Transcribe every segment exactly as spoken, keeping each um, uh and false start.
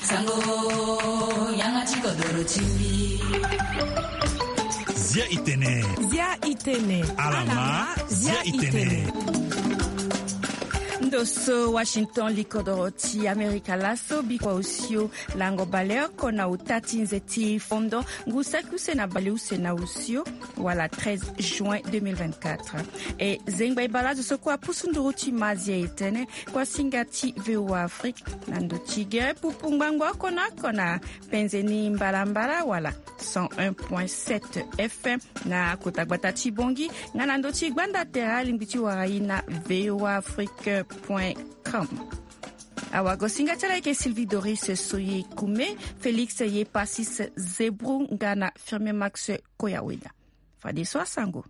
Sango, yanga ti kodoro ti mbi. Zia itene. Zia itene. Alama, zia itene. Ndo so Washington, li kodoro ti Amerika laso, bikua osio lango baleoko na ota ti nze ti fondo, ngu saki use na baleuse na osio, wala treize juin deux mille vingt-quatre. E zengba e baleazo so kue apusu nduru ti ma zia itene, kuasinga ti V O A Afrique, na ndo ti gere pupu ngbangbo oko na oko na penze ni mbalambala wala cent un point sept F M na kota gbata ti Bongi, nga na ndo ti gbanda tere alingbi ti wara e na V O A Afrique point com. Awagosinga ti ala ayeke Sylvie Doris Soye Kume, Félix Yepasis Zebrou nga na Firmin Max Koyaweda. Fadeso asango.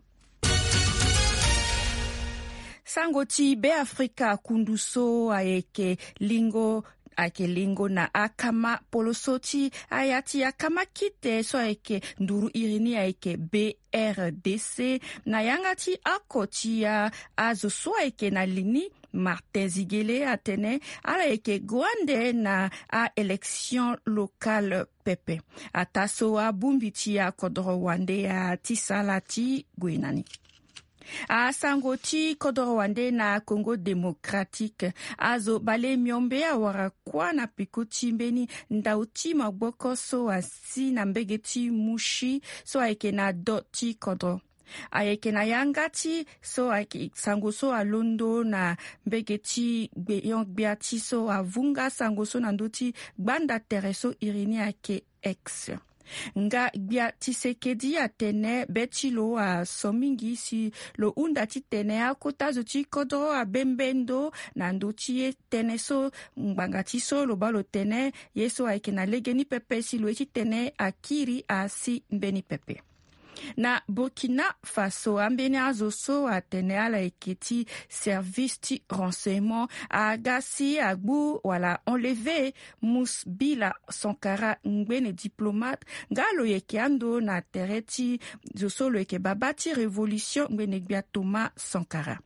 Sango ti Beafrika, kundu so ayeke lingo, ayeke lingo na akama poloso ti aya ti akama kite so ayeke nduru iri ni ayeke B R D C, na yanga ti oko ti a, azo so ayeke na li ni, Martin Zigele atene ala yeke gue ande na a-élection locale pepe. Ataa so abongbi ti akodoro wande aya ti sala ti gue na ni. Asango ti kodoro wande na Congo Démocratique. Azo bale miombe awara kuâ na peko ti mbeni ndau ti maboko so asi na mbege ti Mouchi so ayeke na do ti kodro. Ayeke na yanga ti so ayeke sango so alondo na mbege ti gbeyon gbia ti so avunga sango so na ndö ti gbanda tere so iri ni ayeke X. Nga gbia Tshisekedi atene be ti lo aso mingi si lo hunda titene akota zo ti kodro abembe ndo na ndö ti ye tënë so ngbanga ti so lo baa lo tene ye so ayeke na legeni pepe si lo ye titene akiri asi mbeni pepe. Na Burkina Faso, ambeni azo so atene ala yeke ti service ti renseignement aga si agbu wala enlever Musbila Sankara, ngbene diplomate, nga lo yeke ando na tere ti zo so lo yeke baba ti révolution, ngbene gbia Thomas Sankara.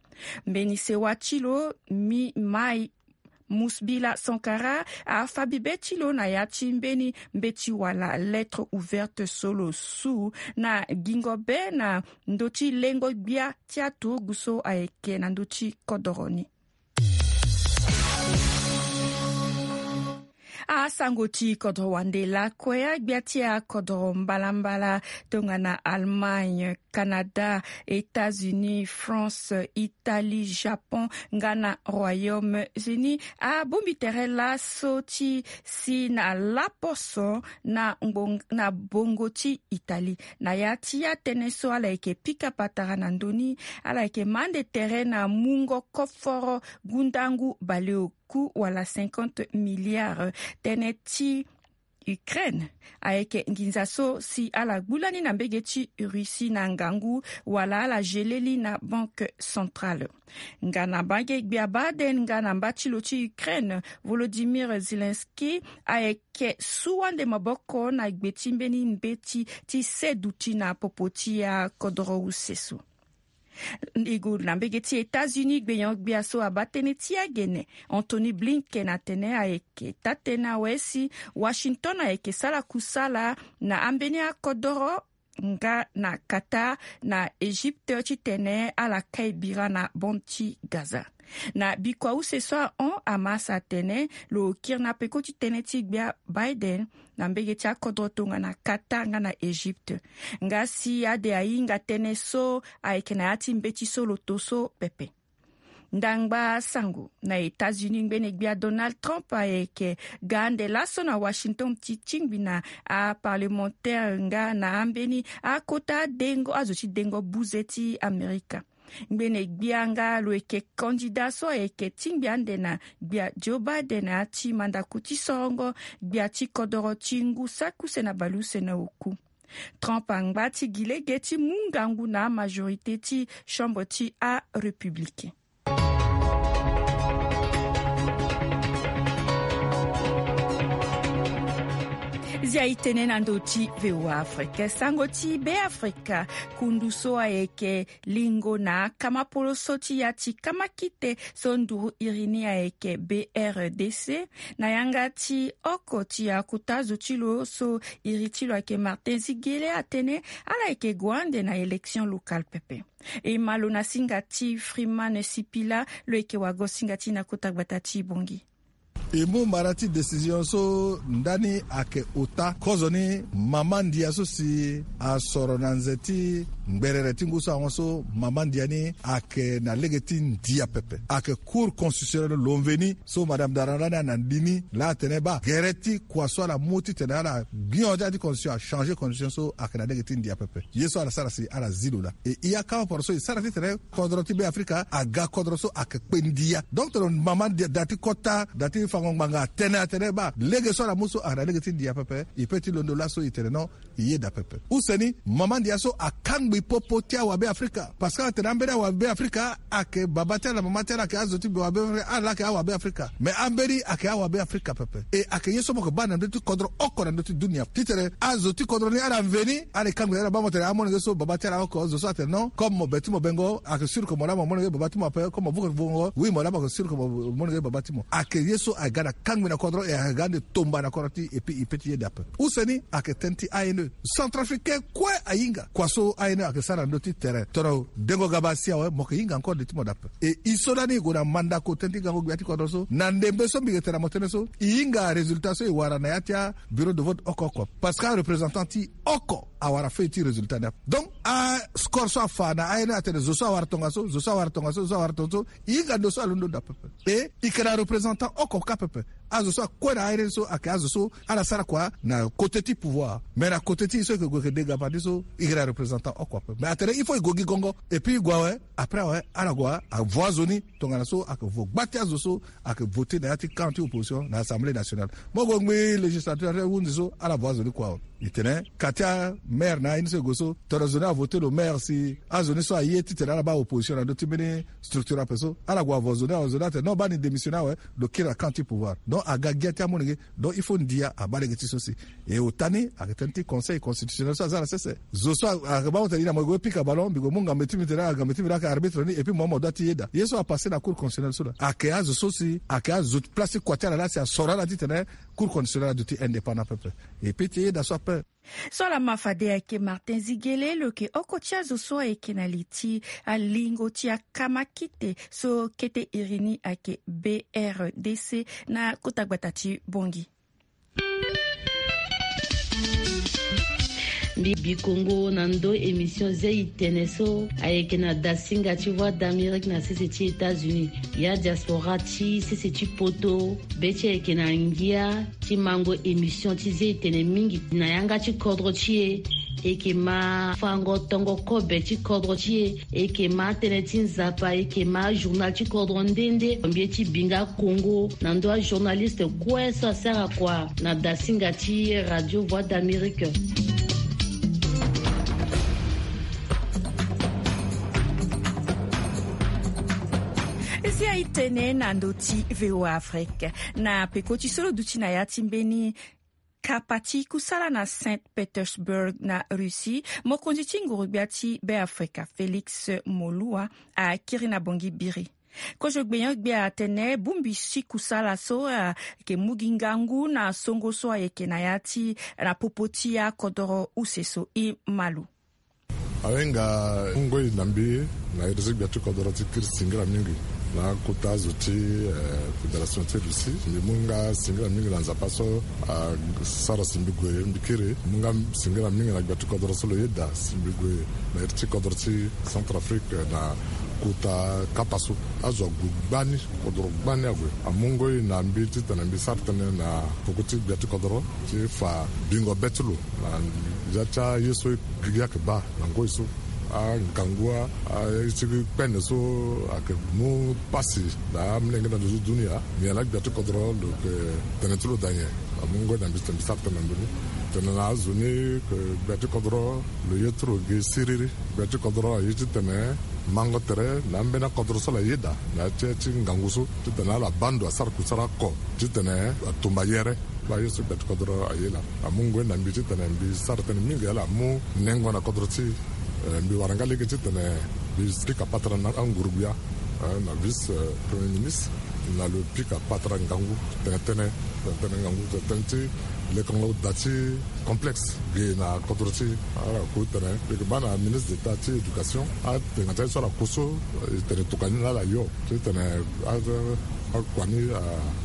Mbeni sewa ti lo, Mi Mai Musbila Sankara afa bibe ti lo na ya ti mbeni mbeti wala lettre ouverte so lo su na gingo be na ndö ti lengo gbia ti aturugu so ayeke na ndö ti kodoro ni. Asango ti kodoro wande lakue. Agbia ti akodoro mbalambala tongana Allemagne, Canada, États-Unis, France, Italie, Japon nga na Royaume-Uni abongbi tere laso ti si na laposo na ngbong-, na bongo ti Italie. Na ya ti atënë so ala yeke pika patara na ndö ni, ala yeke mä ande tere na mungo koforo gundangu baleoku wala cinquante milliards. Tënë ti Ukraine ayeke nginza so si ala gbu lani na mbege ti Russie na ngangu wala ala geleli na Banque Centrale. Nga na mbage gbia Biden nga na mba ti lo ti Ukraine, Volodymyr Zelensky, ayeke su ande maboko na gbe ti mbeni mbeti ti seduti na popo ti akodoro use so. Ndingo na mbege ti États-Unis, gbenyo-gbia so abaa tënë ti agene, Antony Blinken, atene ayeke taa-tënë awe si Washington ayeke sara kusala na ambeni akodoro nga na Qatar na Égypte titene ala kai bira na bande ti Gaza. Na bikua use so ahon, Hamas atene lo kiri na peko ti tënë ti gbia Biden na mbege ti akodro tongana Qatar nga na Égypte. Nga si ade ahinga tënë so ayeke na ya ti mbeti so lo to so pepe. Ndangba sango na États-Unis, ngbene gbia Donald Trump ayeke ga ande laso na Washington ti tingbi na aparlementaire nga na ambeni akota dengo, azo ti dengo buze ti Amerika. Ngbene gbia nga lo yeke kandida so ayeke tingbi ande na gbia Joe Biden na ya ti mandako ti sorongo gbia ti kodoro ti ngu saki use na baleuse na oku. Trump angba ti gi lege ti mu ngangu na amajorité ti chambre ti arépublicain. Zia itene na ndo ti V O A Afrique, sango ti Be Afrika. Kundu so ayeke lingo na kamapolo so ti ya ti kamakite so nduru iri ni ayeke B R D C, na yanga ti oko ti akota zo ti lo so iri ti lo ayeke Martin Zigele, atene ala yeke gue ande na élection locale pepe. E ma lo na singa ti Freeman Sipila, lo yeke wago singa ti na kota gbata ti Bongi. E mu mara ti décision so ndani ayeke ota kozoni mama ndia so si asoro na nze ti ngberere ti ngu so ahon so, mama ndia ni ayeke na lege ti ndia pepe. Ayeke Cour constitutionnelle lo mveni so Madame Darandani ana ndi ni laa atene baa gere ti kua so ala mu titene ala gbio ti ala ti constitution, achange constitution so ayeke na lege ti ndia pepe. Ye so ala sara si ala zi lo laa. E i akama poro so e sara titene kodro ti Be Afrika aga kodro so ayeke kpe ndia. Donc tene mama ndia da ti kota da ti fango ngbanga atene atene baa lege so ala mu so ayeke na lege ti ndia pepe. E pe ti londo laso e tene non, e yeda pepe. Use ni, mama ndia so akangbi popo ti awabe Afrika. Parce que atene ambeni awabe Afrika ayeke baba ti ala na mama ti ala, ayeke azo ti be wabe Afrika, ala laa ayeke awabe Afrika. Mais ambeni ayeke awabe Afrika pepe. E ayeke ye so mo yeke baa na ndö ti kodro oko na ndö ti dunia. Titene azo ti kodro ni ala mveni, ala e kangbi na ala baa mo tene amolenge so baba ti ala oko, zo so atene non, comme mo be ti mo bengo, ayeke sûr que mo laa mo molenge baba ti mo ape, comme mo vuke vongo, oui mo laa mo yeke sûr que mo molenge baba ti mo. Ayeke ye so aga na kangbi na kodro, e aga ande tomba na kodro ti e, et puis e pe ti yeda ape. Use ni ayeke tënë ti A N E. Centrafricain kue ahinga kua so A N E ayeke sara na ndö ti tere. Tongana dengo ga baa si awe, mo yeke hinga encore de ti mo dape. E i so lani e gue na mandako tënë ti gango gbia ti kodro so, na ndembe so mbi yeke tene na mo tënë so, e hinga résultat so e wara na ya ti abureau de vote oko oko. Parce que areprésentant ti oko awara feuille ti résultat ni ape. Donc ascore so afa na A N E atene zo so awara tongaso, zo so awara tongaso, zo so awara tongaso. E hinga ndo so alondo daa pepe. E e yeke na représentant oko kâ pepe. Azo so akue na A N E so ayeke azo so ala sara kua na côté ti pouvoir. Mais na côté ti e so e yeke gue yeke de gabandi so, e yeke na représentant oko ape. Mais atene il faut e gue gi gongo. Et puis e gue awe, après awe ala gue avoa zo ni. Tongana so ayeke vo gba ti azo so ayeke voté na ya ti camp ti opposition na Assemblée nationale. Mo gue ngbii législature ti ahunzi so ala voa zo ni kua awe. E tene ka ti amaire na aye ni so e gue so, tongana zo ni avoté lo maire si azo ni so aye titene ala baa opposition na ndö ti mbeni structure ape so, ala gue avoa zo ni awe, zo ni atene non, baa ni démissionner awe, lo kiri na camp ti pouvoir. Donc aga gia ti amolenge. Donc il faut ndia abaa lege ti so si. E ota ni ayeke tënë ti conseil constitutionnel so aza na sese. Zo so ayeke baa mo tene i na mo e gue pika ballon, mbi gue mu ngambe ti mbi tene agambe ti mbi laa ayeke arbitre ni, et puis mo mo doit ti yeda. Ye so apassé na cour constitutionnelle so laa ayeke azo so si ayeke azo place ti kua ti ala laa si asoro ala titene cour constitutionnelle aduti indépendant pepe. E pe ti yeda so ape. So ala ma fade ayeke Martin Zigele, lo yeke oko ti azo so ayeke na li ti alingo ti akamakite so kete iri ni ayeke B R D C na kota gbata ti Bongi. Mbi bi kongo na ndo émission Zei Tene so ayeke na dasinga ti Voix d'Amérique na sese ti États-Unis. Ya diaspora ti sese ti poto, be ti e ayeke na ngia ti mango émission ti Zei Tene mingi na yanga ti kodro ti e. E yeke ma fango tongo kobe ti kodro ti e. E yeke ma tënë ti Nzapa, e yeke ma journal ti kodro nde nde. Mbi ye ti bi nga kongo na ndö ajournaliste kue so asara kua na dasinga ti Radio Voix d'Amérique. Zia itene na ndö ti V O A Afrique. Na peko ti so lo duti na ya ti mbeni kapa ti kusala na Saint Petersburg na Russie, mokonzi ti ngurugbia ti Beafrika Félix Moloua akiri na Bongi biri. Kozo gbenyo-gbia atene bongbi ti kusala so ayeke mu gi ngangu na songo so ayeke na ya ti na popo ti akodoro use so. E ma lo. Awe nga ngoi na mbi na iri ti gbia ti kodoro ti kiri singira mingi na kota azo ti, eh, fédération ti Russie. Mbi mu nga singira mingi na Nzapa so asara si mbi gue mbi kiri. Mbi mu nga singira mingi na gbia ti kodoro so lo yeda si mbi gue na iri ti kodoro ti Centrafrique na kota kapa so. Azo ague gbani, kodoro gbani ague. Amu ngoi na mbi titene mbi sara tënë na peko ti gbia ti kodoro ti fa bingo be ti lo na ya ti aye so e yeke baa na ngoi so. Angangu a, aye ti kpene so ayeke mu pasi na amolenge na ndo ti dunia. Nyen laa gbia ti kodoro lo yeke tene ti lo daa nyen? Amu ngoi na mbi titene mbi sara tënë na ndö ni. Tene na azo ni ke gbia ti kodoro lo ye ti lo gi siriri. Gbia ti kodoro aye titene mango tere na ambeni akodoro so ala yeda na ya ti, ti ngangu so titene ala baa ndo asara kusala oko titene atumba yere. Aye so gbia ti kodro aye laa amu ngoi na mbi titene mbi sara tënë mingi ala amu nengo na kodro ti. Mbi wara nga lege titene mbi pika patara na anguru-gbia na vice premier ministre na lo pika patara ngangu tene tënë tene ngangu tene tënë ti lekongo da ti complexe ge na kodro ti. Ala ku tene lege baa na ministre d'état ti éducation atene nga ti aye so ala ku so. Tene tokani na ala yo titene akua ni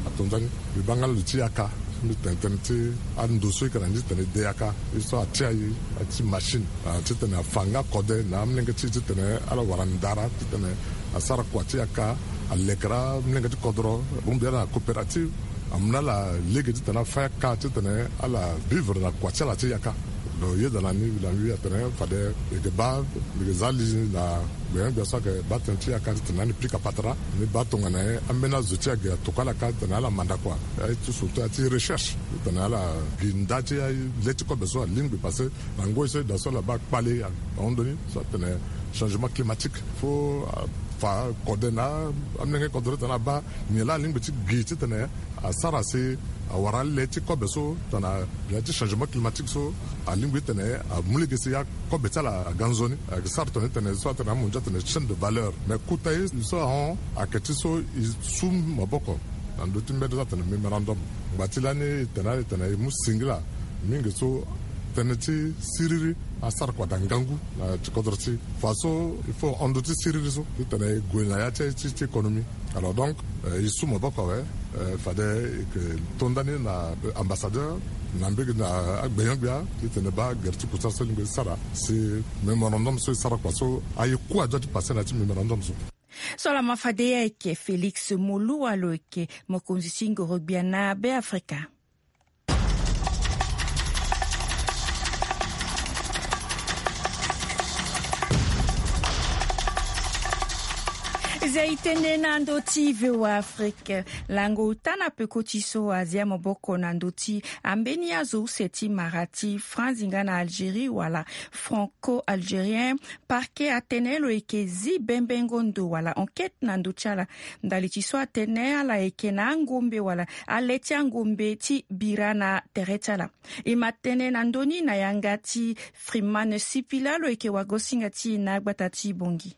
atonda ni. Mbi baa nga lo ti yaka mbi tene tënë ti ando so e yeke na ni titene e de yaka e so atia e ti machine titene afa nga kode na amolenge ti e titene ala wara ndara titene asara kua ti yaka. Alekere amolenge ti kodro abongbi ala na coopérative amu na ala lege titene afa yaka titene ala vivre na kua ti ala ti yaka. Lo yeda na ni na mbi atene fade e yeke baa mbi yeke za li na gbenyo-gbia so ayeke baa tënë ti yaka titene ani pika patara ni baa tongana nyen ambeni azo ti age atokua ala ka titene ala manda kua. Aye ti surtout aye ti recherche titene ala gi nda ti aye le ti kobe so alingbi parce que na ngoi so e daa so ala baa kpale ahon ndoni so atene changement climatique. Fo afa kode na amolenge kodro titene abaa nyen laa alingbi ti gi titene asara si awara ale ti kobe so tongana gbia ti changement climatique so alingbi titene amu lege si akobe ti ala aga nzoni. Ayeke sara tongana titene so atene amu ndia titene chaîne de valeur mais kota ye so ahon ayeke ti so e su maboko na ndö ti mbeni so atene mémorandum. Ngba ti lani e tene ala e tene e mu singila mingi so tënë ti siriri asara kua daa ngangu na ti kodro ti e. Fa so il faut hon ndö ti siriri so titene e gue na ya ti ti économie. Alors donc e su maboko awe. Fade e yeke to ndani na ambassadeur na mbege na agbenyo-gbia titene baa gere ti kusala so e lingbi ti sara si mémorandum so e sara kua so aye ku adoit ti passe na ya ti mémorandum so. So lama fade ye ayeke Félix Moluwa lo yeke mokonzi ti ngoro-gbia na Beafrika. Zia e tene na ndö ti VOA Afrique. Lango ota na peko ti so azia maboko na ndö ti ambeni azo use ti mara ti France nga na Algérie wala franco-algérien. Parquet atene lo yeke zi bembengo ndo wala enquête na ndö ti ala ndali ti so atene ala yeke na angombe wala ale ti angombe ti bira na tere ti ala. E ma tene na ndö ni na yanga ti Freeman Sipila lo yeke wagosinga ti e na agbata ti Bangui.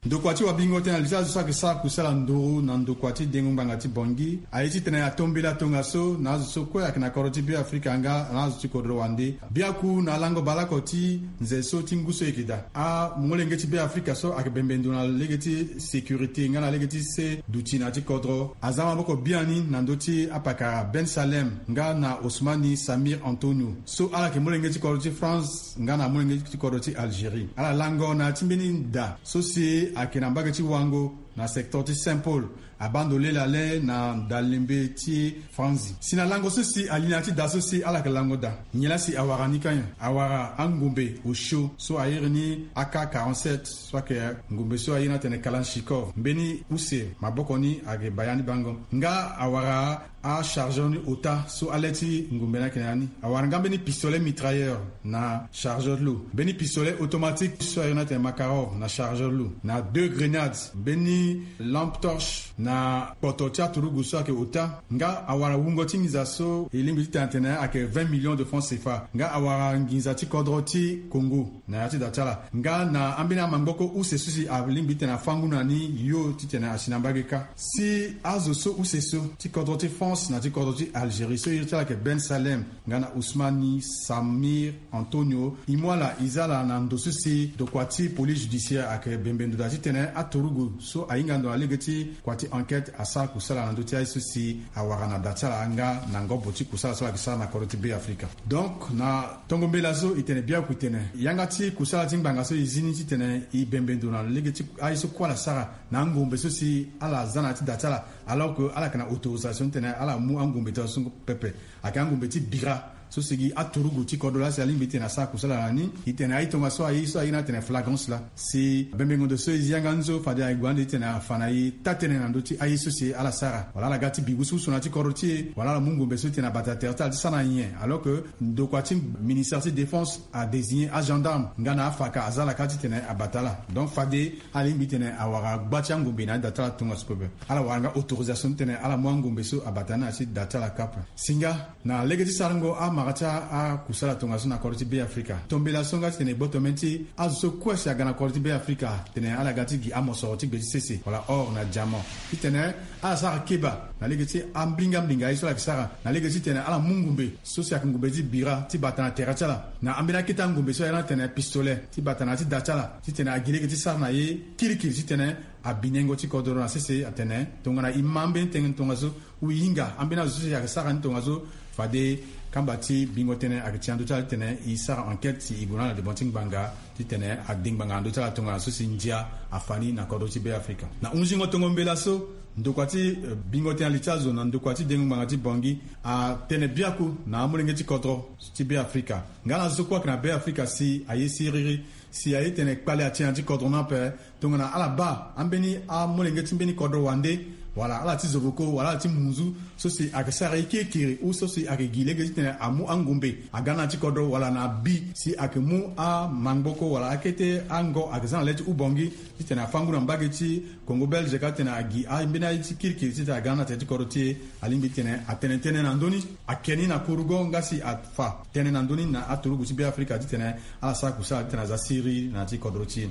Ndokua ti wabingo tënë na li ti azo so ayeke sara kusala nduru na ndokua ti dengo ngbanga ti Bangui aye titene atombela tongaso na azo so kue ayeke na kodro ti Beafrika nga na azo ti kodro wande. Biaku na lango baleoko ti nze so ti ngu so e yeke daa, amolenge ti Beafrika so ayeke bembe ndo na lege ti sécurité nga na lege ti se duti na ya ti kodro aza maboko biani na ndö ti apakara Ben Salem nga na Ousmani Samir Antonio so ala yeke molenge ti kodro ti France nga na molenge ti kodro ti Algérie. Ala lango na ya ti mbeni da so si ayeke na mbage ti wango na secteur ti Saint Paul. Abaa ndo lele ale na dalembe ti Franzi si na lango so si ali na ya ti da so si ala yeke lango daa. Nyen laa si awara ni ka nyen? Awara angombe osio so a iri ni A K quarante-sept so ayeke ngombe so a iri ni atene Kalachnikov. Mbeni use maboko ni ayeke baya ni bango nga awara achargeur ni ota so ale ti ngombe ni ayeke na ya ni. Awara nga mbeni pistolet mitrailleur na chargeur ti lo, mbeni pistolet automatique so a iri ni atene Makarov na chargeur ti lo, na deux grenades, mbeni lampe torche na kpoto ti aturugu so ayeke ota. Nga awara wungo ti nginza so e lingbi ti tene atene ayeke vingt millions de francs C F A. Nga awara nginza ti kodro ti Congo na ya ti da ti ala. Nga na ambeni amangboko use so si alingbi ti tene afa ngu na ni yo titene asi na mbage kâ. Si azo so use so ti kodro ti France na ti kodro ti Algérie so iri ti ala ayeke Ben Salem nga na Ousmani Samir Antonio, e mu ala e za ala na ndo so si ndokua ti police judiciaire ayeke bembe ndo daa titene aturugu so ahinga ndo na lege ti kua ti enquête asara kusala na ndö ti aye so si awara na da ti ala nga na ngobo ti kusala so ala yeke sara na kodro ti Beafrika. Donc na tongo mbela so e tene biaku e tene yanga ti kusala ti ngbanga so e zi ni titene e bembe ndo na lege ti aye so kue ala sara na angombe so si ala za na ya ti da ti ala, alors que ala yeke na autorisation titene ala mu angombe ti ala so pepe. Ayeke angombe ti bira So si gi aturugu ti kodro laa si alingbi titene asara kusala na ni. E tene aye tongaso aye so aye ni atene flagrance laa. Si bembengo ndo so e zi yanga nzo fade aye gue ande titene afa na e taa-tënë na ndö ti aye so si ala sara wala ala ga ti bi wusuwusu na ya ti kodro ti e wala ala mu ngombe so titene abata tere ti ala ti sara na nyen. Alors que ndokua ti ministère ti défense adésigné agendarme nga na afaka aza ala ka titene abata ala. Donc fade alingbi titene awara gba ti angombe na ya ti da ti ala tongaso pepe. Ala wara nga autorisation titene ala mu angombe so abata ni na ya ti da ti ala ka ape. Singa na lege ti sarango amara ti akusala tongaso na kodro ti Be Afrika, tombela so nga titene e gboto meni ti azo so kue si aga na kodro ti Be Afrika titene ala ga ti gi amosoro ti gbe ti sese wala or na diamant. Titene ala sara keba na lege ti ambinga mbinga ye so ala yeke sara na lege titene ala mu ngumbe so si ayeke ngumbe ti bira ti bata na tere ti ala na ambeni akete angumbe so ayeke na tene pistolet ti bata na ya ti da ti ala titene agi lege ti sara na ye kirikiri titene abi nengo ti kodoro na sese atene tongana e ma ambeni tënë tongaso ou e hinga ambeni azo so si ayeke sara ni tongaso fade kamba ti bingo tënë ayeke ti na ndö ti ala titene e sara enquête si e gue na ala devant ti ngbanga titene ade ngbanga na ndö ti ala tongana so si ndia afa ni na kodro ti Be Afrika. Na hunzingo tongo mbela so ndokua ti bingo tënë ali ti azo na ndokua ti dengo ngbanga ti Bangui atene biaku na amolenge ti kodro ti Be Afrika nga na azo so kue ayeke na Be Afrika si aye siriri si aye tene kpale ati na ya ti kodro ni ape. Tongana ala baa ambeni amolenge ti mbeni kodro wande wala ala ti zovoko wala ala ti munzu so si ayeke sara ye kirikiri ou so si ayeke gi lege titene amu angombe aga na ya ti kodro wala na bi si ayeke mu amangboko wala akete ango ayeke za na le ti Ubangi titene afa ngu na mbage ti Congo belge ka titene agi ambeni aye ti kirikiri titene aga na tere ti kodro ti e. Alingbi titene atene tënë na ndö ni ake ni na kurugo nga si afa tënë na ndö ni na aturugu ti Be Afrika titene ala sara kusala titene aza siriri na ya ti kodro ti e.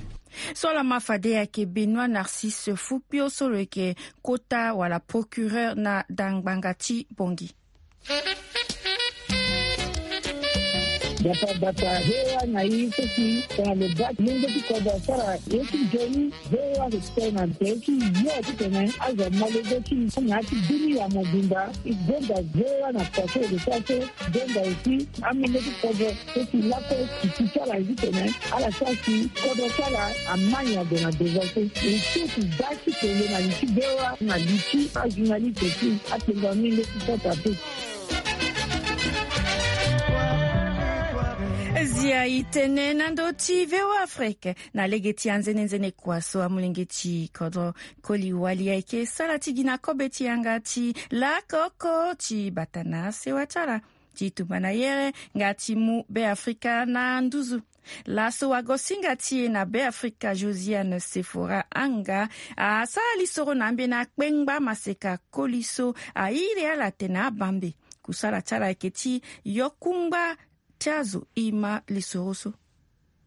So ala ma fade ayeke Benoît Narcisse Fukpio so lo yeke kota wala procureur na da ngbanga ti Bangui. Bata bata V O A na e so si tongana lo baa lenge ti kodro asara ye ti nzoni. V O A ayeke tene na tere ti yo titene azo ama lege ti na ya ti dunia mobimba. E gonda V O A na poto e yeke sara so. Donda aussi amolenge ti kodro so si lakue titi ti ala ye titene ala sara si kodro ti ala ama nyen ade na devant so. E so si da ti tene na li ti V O A na li ti ajournaliste ti atengo amolenge ti kota pe. Zia e tene na ndö ti V O A Afrique na lege ti anzenenzene kua so amolenge ti kodro koli wali ayeke sara ti gi na kobe ti yanga ti lakoko ti bata na sewa ti ala ti tumba na yere nga ti mu Be Afrika na nduzu. Laso wagosinga ti e na Be Afrika Josiane Sefora Anga asara lisoro na ambeni akpengba maseka koli so airi ala atene abambe. Kusala ti ala ayeke ti yo kungba ti azo. E ma lisoro so.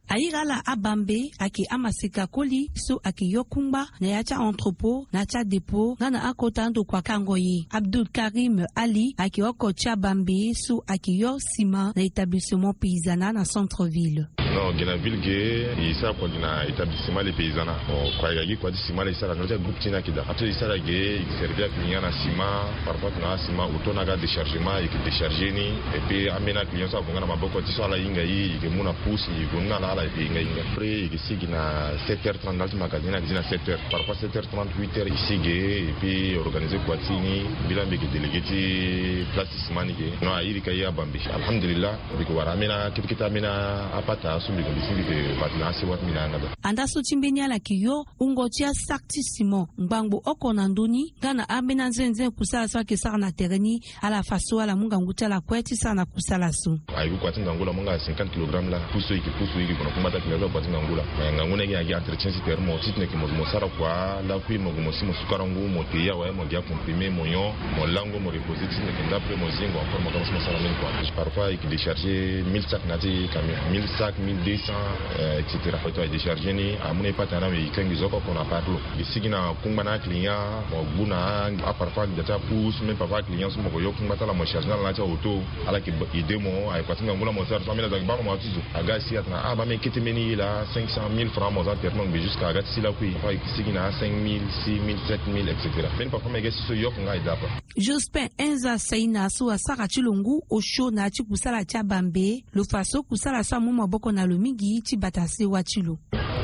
Airi ala abambe ayeke amaseka koli so ayeke yo kungba na ya ti a-entrepôt na ya ti adépôt nga na akota ando kua kango ye. Abdul Karim Ali ayeke oko ti abambe so ayeke yo sima na établissement paysanat na centre ville. Non, ge na ville ge e sara kua gi na établissement le paysanat. Bon, kua e ga gi kua ti sima le e sara na ndö ti agroupe ti ni ayeke daa. Ato e sara ge e servir aclient na sima. Parfois tongana asima auto na aga déchargement e yeke décharger ni. Et puis ambeni aclient so ague nga na maboko ti so ala hinga e e yeke mu na pousse e gue nga na ala e yeke hinga e hinga. Après e yeke sigi na sept heures trente ndali ti magasin ni ayeke zi na sept heures, parfois sept heures trente, huit heures e sigi e puis organiser kua ti ni. Mbi laa mbi yeke délégué ti place ti sima ni ge. Non, a iri ka ye abambe. Alhamdulillah. Mbi yeke wara ambeni akete kete ambeni apata so mbi yeke mbi si mbi yeke bata na asewa ti mbi na yanga daa. Andaa so ti mbeni ala yeke yo wungo ti asaki ti sima ngbangbo oko na ndö ni nga na ambeni anzenzen kusala so ayeke sara na tere ni. Ala fa so ala mu ngangu ti ala kue ti sara na kusala so. Aye ku kua ti ngangu laa mo nga cinquante kilogramme laa. Pusu e yeke pusu e yeke gue na kungba ti akina so akua ti ngangu laa. Me ngangu ni ayeke gi entretien ti tere mo titene yeke mo gue mo sara kua lakui mo gue mo si mo sukara ngu mo te ye awe mo gi acomprimé mo nyon mo lango mo reposer titene yeke ndapre mo zingo encore mo kama so mo sara mbeni kua. Parfois e yeke décharger mille sacs na ya ti camion, mille sacs, mille deux cents, euh, et cetera. Aye décharger ni amu na e pata ni awe e yeke ngi zo oko oko na part lo. E sigi na kungba na aclient mo gbu na aparfois ngia ti apousse même parfois aclient so mo ko yo kungba ti ala mo charge na ala na ya ti aoto. Ala yeke aidé mo aye kua ti ngangu laa mo sara so ambeni azo ayeke baa mo mo ya ti zo aga asi atena ah baa mbeni kete mbeni ye laa cinq cent mille francs mo za tere ti mo ngbe jusqu'à aga ti si lakui parfois e yeke sigi na cinq mille, six mille, sept mille, et cetera. Mbeni parfois mbi yeke si so e yoko nga e daa apa. Jospin Enza Saina so asara ti lo ngu osio na ya ti kusala ti abambe. Lo fa so kusala so amu maboko na lo mingi ti bata sewa ti lo.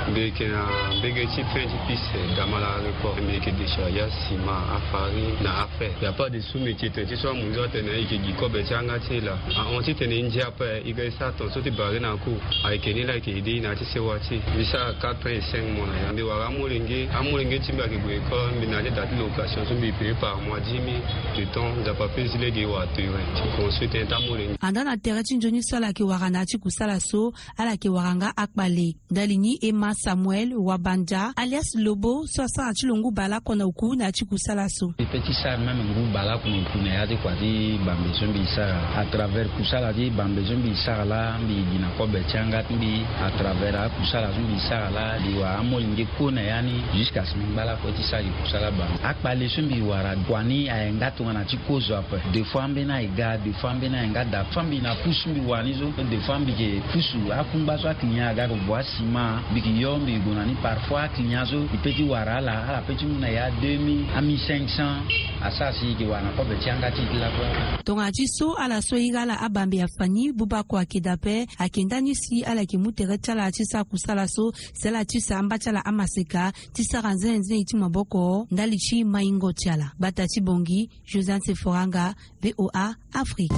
Mbi yeke na mbege ti fin ti piste Damala Report. Mbi yeke décharger asima, afarine na Fait ya pas de sous métier tene ti so amonzo atene e ke gi kobe ti yanga ti e laa. Ahon titene e ndia ape e ga e sara tongaso ti bare na ako. Ayeke ni laa e ke aide e na ya ti sewa ti e. Mbi sara quatre ans et cinq mois na ya. Mbi wara amolenge amolenge ti mbi ayeke gue école. Mbi na ya ti da ti location so mbi paye par mois dix mille. De temps nzapa pe zi lege e wara tere ti construire tënë ti amolenge. Andaa na tere ti nzoni so ala yeke wara na ya ti kusala so, ala yeke wara nga akpale. Ndali ni Emma Samuel Wabanja alias Lobo so asara ti lo ngu baleoko na oku na ya ti kusala so. E pe ti sara même ngu baleoko na oku na ya ti kua ti bambe so mbi sara à travers kusala ti bambe so mbi sara laa mbi gi na kobe ti yanga ti mbi. À travers akusala so mbi sara laa mbi wara amolenge kue na ya ni. Jusqu'à ce mbi ngba lakue ti sara gi kusala bambe. Akpale so mbi wara kua ni aye nga tongana ti kozo ape. Deux fois ambeni aye ga, deux fois ambeni aye nga da fois mbi na pusu mbi wara ni so. Deux fois mbi ke pusu akungba so aclient aga ke vo asima. Mbi ke yo mbi ke gue na ni parfois aclient so e pe ti wara ala ala pe ti mu na ya deux mille a mille cinq cents. Asara si e ke wara na kobe ti yanga ti e ti lakue. Tongana ti so ala so e iri ala abambe afani buba kua ayeke daa ape. Ayeke ndani si ala yeke mu tere ti ala ti sara kusala so si ala ti sara amba ti ala amaseka ti sara nzenenzene ti maboko ndali ti maingo ti ala. Gbata ti bongi, Josiane Seforanga, VOA Afrique.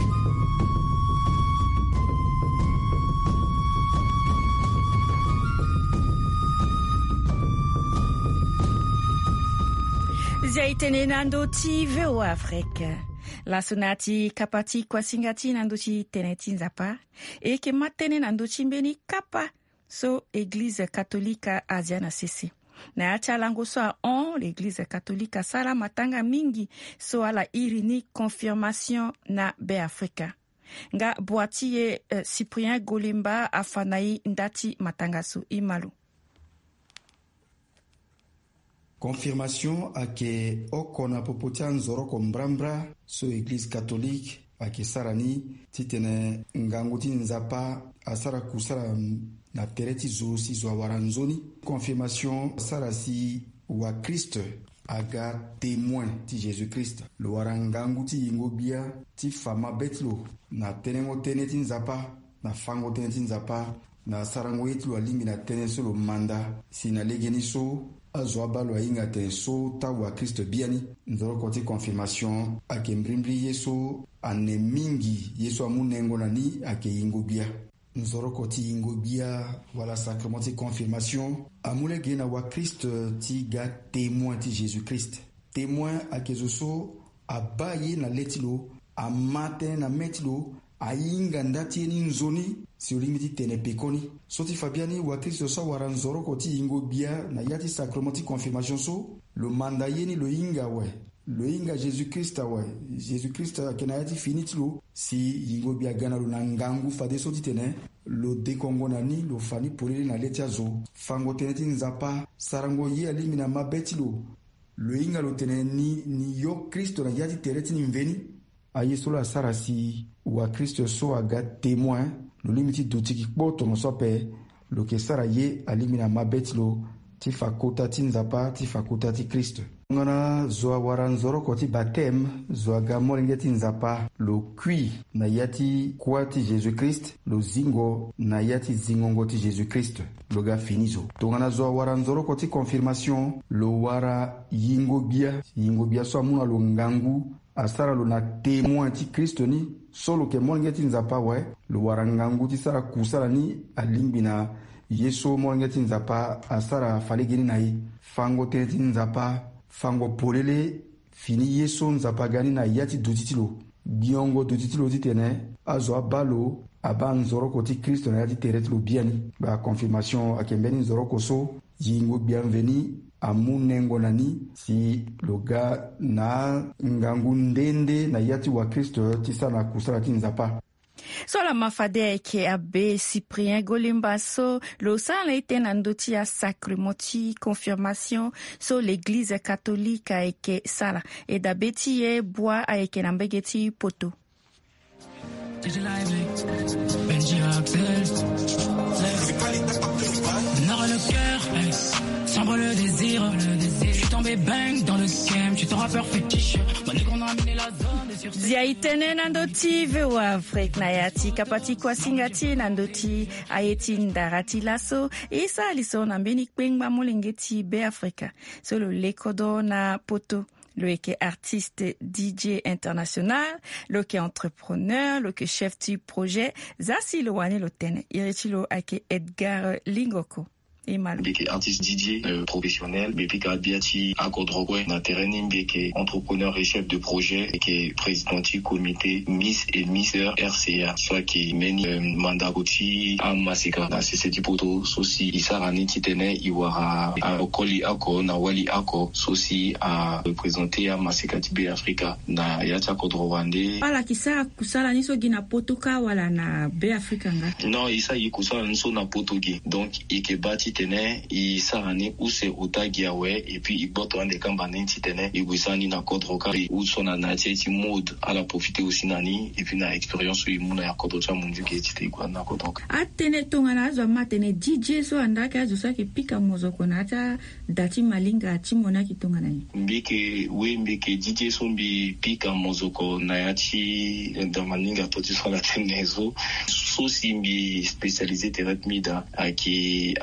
Zia e tene na ndö ti VOA Afrique. Laso na ya ti kapa ti kuasinga ti e na ndö ti tene ti Nzapa. E yeke ma tënë na ndö ti mbeni kapa so Eglize Katolika azia na sese. Na ya ti alango so ahon, l'Eglize Katolika asara matanga mingi so ala iri ni confirmation na Beafrika. Nga bua ti e, eh, Cyprien Golemba afa na e nda ti matanga so. E ma lo. Confirmation ayeke oko na popo ti anzoroko mbrambra so Eglize Katolike ayeke sara ni titene ngangu ti Nzapa asara kusala na tere ti zo si zo awara nzoni. Confirmation asara si wakristo aga témoin ti Jésus-Christ. Lo wara ngangu ti yingo gbia ti fa mabe ti lo na tenengo tënë ti Nzapa, na fango tënë ti Nzapa, na sarango ye ti lo alingbi na tënë so lo manda. Si na legeni so azo abaa lo ahinga atene so taa wakristo biani. Nzoroko ti confirmation ayeke mbirimbiri ye so ane mingi ye so amu nengo na ni ayeke yingo gbia. Nzoroko ti yingo gbia wala sacrement ti confirmation amu lege na wakristo ti ga témoin ti Jésus-Christ. Témoin ayeke zo so abaa ye na le ti lo, ama tënë na mê ti lo, ahinga nda ti ye ni nzoni si lo lingbi ti tene pekoni. So ti fa biani wakristo so awara nzoroko ti yingo gbia na ya ti sacrement ti confirmation so, lo manda ye ni lo hinga awe. Lo hinga Jésus-Christ awe. Jésus-Christ ayeke na ya ti fini ti lo si yingo gbia aga na lo na ngangu fadeso titene lo dekongo na ni, lo fa ni polele na le ti azo. Fango tënë ti Nzapa, sarango ye alingbi na mabe ti lo. Lo hinga lo tene ni, ni yo Kristo na ya ti tere ti ni mveni. Aye so laa asara si wakristo so aga témoin, lo lingbi ti duti gi kpo tongaso ape. Lo yeke sara ye alingbi na mabe ti lo ti fa kota ti Nzapa, ti fa kota ti Kristo. Tongana zo awara nzoroko ti batême, zo aga molenge ti Nzapa, lo kui na ya ti kuâ ti Jésus-Christ, lo zingo na ya ti zingongo ti Jésus-Christ. Lo ga fini zo. Tongana zo awara nzoroko ti confirmation, lo wara yingo gbia. Yingo gbia so amu na lo ngangu, asara lo na témoin ti Kristo ni so lo yeke molenge ti Nzapa awe. Lo wara ngangu ti sara kusala ni alingbi na ye so molenge ti Nzapa asara falegeni na e. Fango tënë ti Nzapa, fango polele fini ye so Nzapa aga ni na ya ti duti ti lo. Gbiongo duti ti lo titene azo abaa lo abaa nzoroko ti Kristo na ya ti tere ti lo biani. Baa confirmation ayeke mbeni nzoroko so yingo gbia mveni amu nengo na ni si lo ga na angangu nde nde na ya ti wakristo ti sara na kusala ti Nzapa. So ala ma fade ayeke abbé Cyprien Golimba so lo sara na e tënë na ndö ti asacrement ti confirmation so l'église catholique ayeke sara. E dabe ti e bua ayeke na mbege ti poto. Benji Axel. Nord le cœur, eh, sombre le désir, le désir. Je suis tombé bang dans le scam, je suis ton rappeur fétiche. Mon négro, on a amené la zone. Dia e tene na ndö ti VOA Afrique na ya ti kapa ti kuasinga ti e na ndö ti aye ti ndara ti laso. E sara li so na mbeni kpengba molenge ti Beafrika so lo lekodo na poto. Lo yeke artiste, DJ international, lo yeke entrepreneur, lo yeke chef ti projet. Za si lo wani lo tene, iri ti lo ayeke Edgar Lingoko. Mbi yeke artiste, DJ professionnel. Mbi pika bia ti akodro kue na tere ni. Mbi yeke entrepreneur et chef de projet, mbi yeke président ti comité Miss et Mister RCA, so ayeke mbeni mandako ti amaseka na sese ti poto, so si e sara ni titene e wara akoli oko na wali oko so si areprésenter amaseka ti Be Afrika na ya ti akodro wande. Ala yeke sara kusala ni so gi na poto kâ wala na Be Afrika nga? Non, e sara gi kusala ni so na poto gi. Donc e yeke baa titene e sara ni use ota gi awe, et puis e gboto ande kamba ni titene e gue sara ni na kodro kâ. E use so na na ya ti mode, ala profiter aussi na ni, et puis na expérience so e mu na ya kodro ti amunzu ge titene e gue na kodro kâ. Atënë tongana azo ama atene DJ so anda ayeke azo so ayeke pika mozoko na ya ti ada ti malinga ti mo ni ayeke tongana nyen? Mbi yeke, oui, mbi yeke DJ so mbi pika mozoko na ya ti da malinga to ti so ala tene so. So si mbi spécialisé tere ti mbi daa ayeke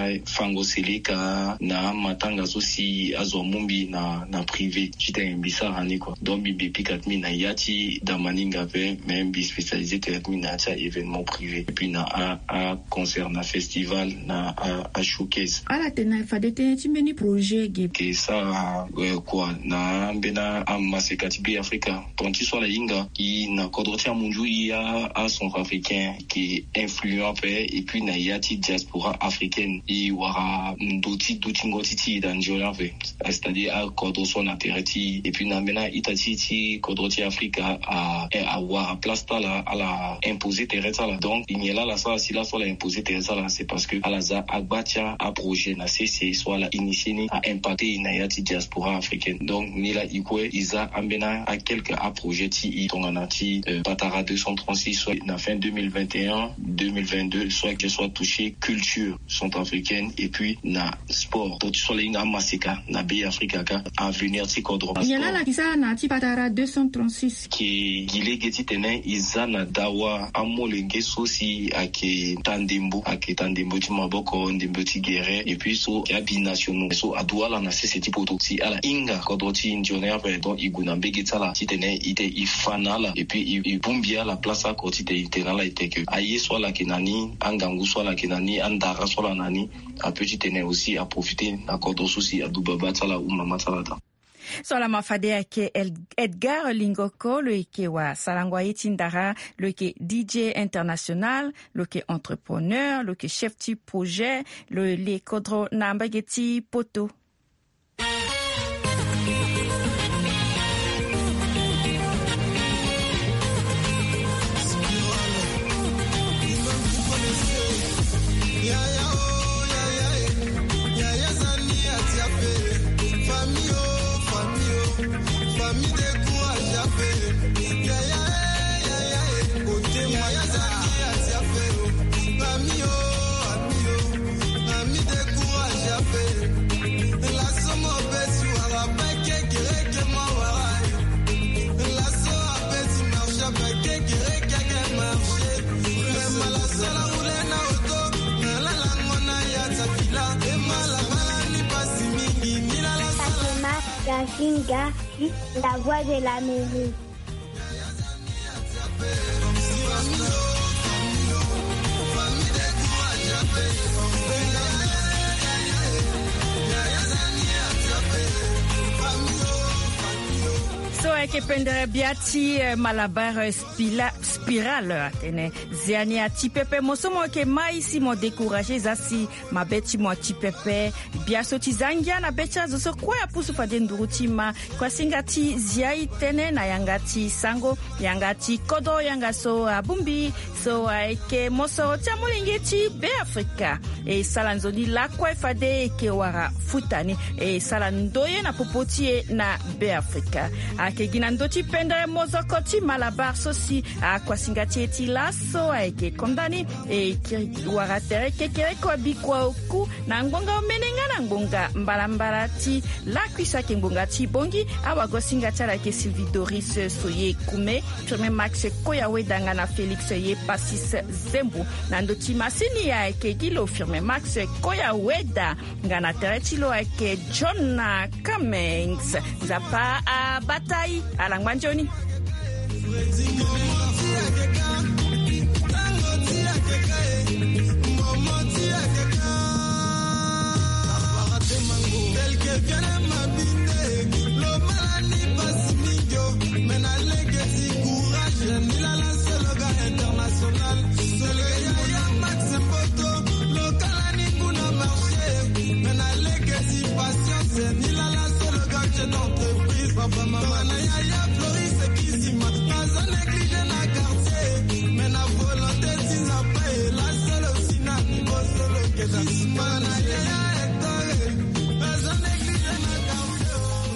afango seleka na amatanga so si azo amu mbi na, na privé titene mbi sara ni kua. Donc mbi, mbi pika ti mbi na ya ti da malinga ape, mais mbi spécialisé tere ti mbi na ya ti a-événement privé, et puis na a, a concert, na festival, na a, a showcase. Ala tene na fade tënë ti mbeni projet ge? Ke sara kua na ambeni amaseka ti Be Afrika. Tonga ti so ala hinga, e na kodro ti amunzu, e a, acentrafricain ke influent ape, et puis na ya ti diaspora africaine e wara ndo ti dutingo ti ti e daa nzoni ape. C'est-à-dire akodro so na tere ti e, et puis na ambeni a-ita ti e ti kodro ti Afrika a, e, awara place ti ala, ala imposer tere ti ala. Donc e nyen laa ala sara si laso ala imposer tere ti ala? C'est parce que ala za agba ti aprojet na sese so ala initier ni a impacter e na ya ti diaspora africaine. Donc ni laa e kue e za ambeni a quelques aprojet ti e tongana ti, euh, Patara deux cent trente-six so na fin deux mille vingt et un, deux mille vingt-deux, so ayeke so atoucher culture centrafricaine, et puis na sport. Tonga ti so ala hinga amaseka na Be Afrika kâ, avenir ti kodro. Nyen laa ala yeke sara na ya ti Patara deux cent trente-six? Ke gi lege titene e za na dawa amolenge so si ayeke taa ndembo, ayeke taa ndembo ti maboko, ndembo ti gere, et puis so ayeke abinationaux so adu ala na sese ti poto si ala hinga kodro ti nzoni ape. Donc e gue na mbege ti ala titene e, e fa na ala, et puis e, e bongbi ala place oko titene e tene na ala ete ke aye so ala yeke na ni, angangu so ala yeke na ni, andara so ala na ni, apeut titene aussi aprofiter na kodro so si adu baba ti ala ou mama ti ala daa. So laa ma fade ayeke El-, Edgar Lingoko, lo yeke wa sarango aye ti ndara, lo yeke DJ international, lo yeke entrepreneur, lo yeke chef ti projet, lo le kodro na mbage ti poto. Gazinga, la voix de l'Amérique. So ayeke pendere bia ti, eh, Malabar, eh, spila-, Spiral atene, zia ni ati pepe, mo so mo yeke mai si mo décourager, za si mabe ti mo ati pepe. Biaso ti za ngia na be ti azo so kue apusu fade nduru ti ma. Kuasinga ti zia e tene na yanga ti sango, yanga ti kodro, yanga so abongbi, so ayeke mosoro ti amolenge ti Be Afrika. E sala nzoni lakue fade e yeke wara futa ni. E sala ndoye na popo ti e na Be Afrika. Ayeke Gi na ndö ti pendere mozoko ti Malabar so si akuasinga ti e ti laso ayeke konda ni. E kiri wara tere kekereko abikua oku na ngbonga omene nga na ngbonga mbalambala ti lakui so ayeke ngbonga ti bongi. Awagosinga ti ala ayeke Sylvie Doris Soye Kume, Firmin Max Koya Weda nga na Félix Ye Passis Zembu. Na ndö ti masini ayeke gi lo Firmin Max Koya Weda. Nga na tere ti lo ayeke John Cummings. Nzapa abata i, ala ngba nzoni.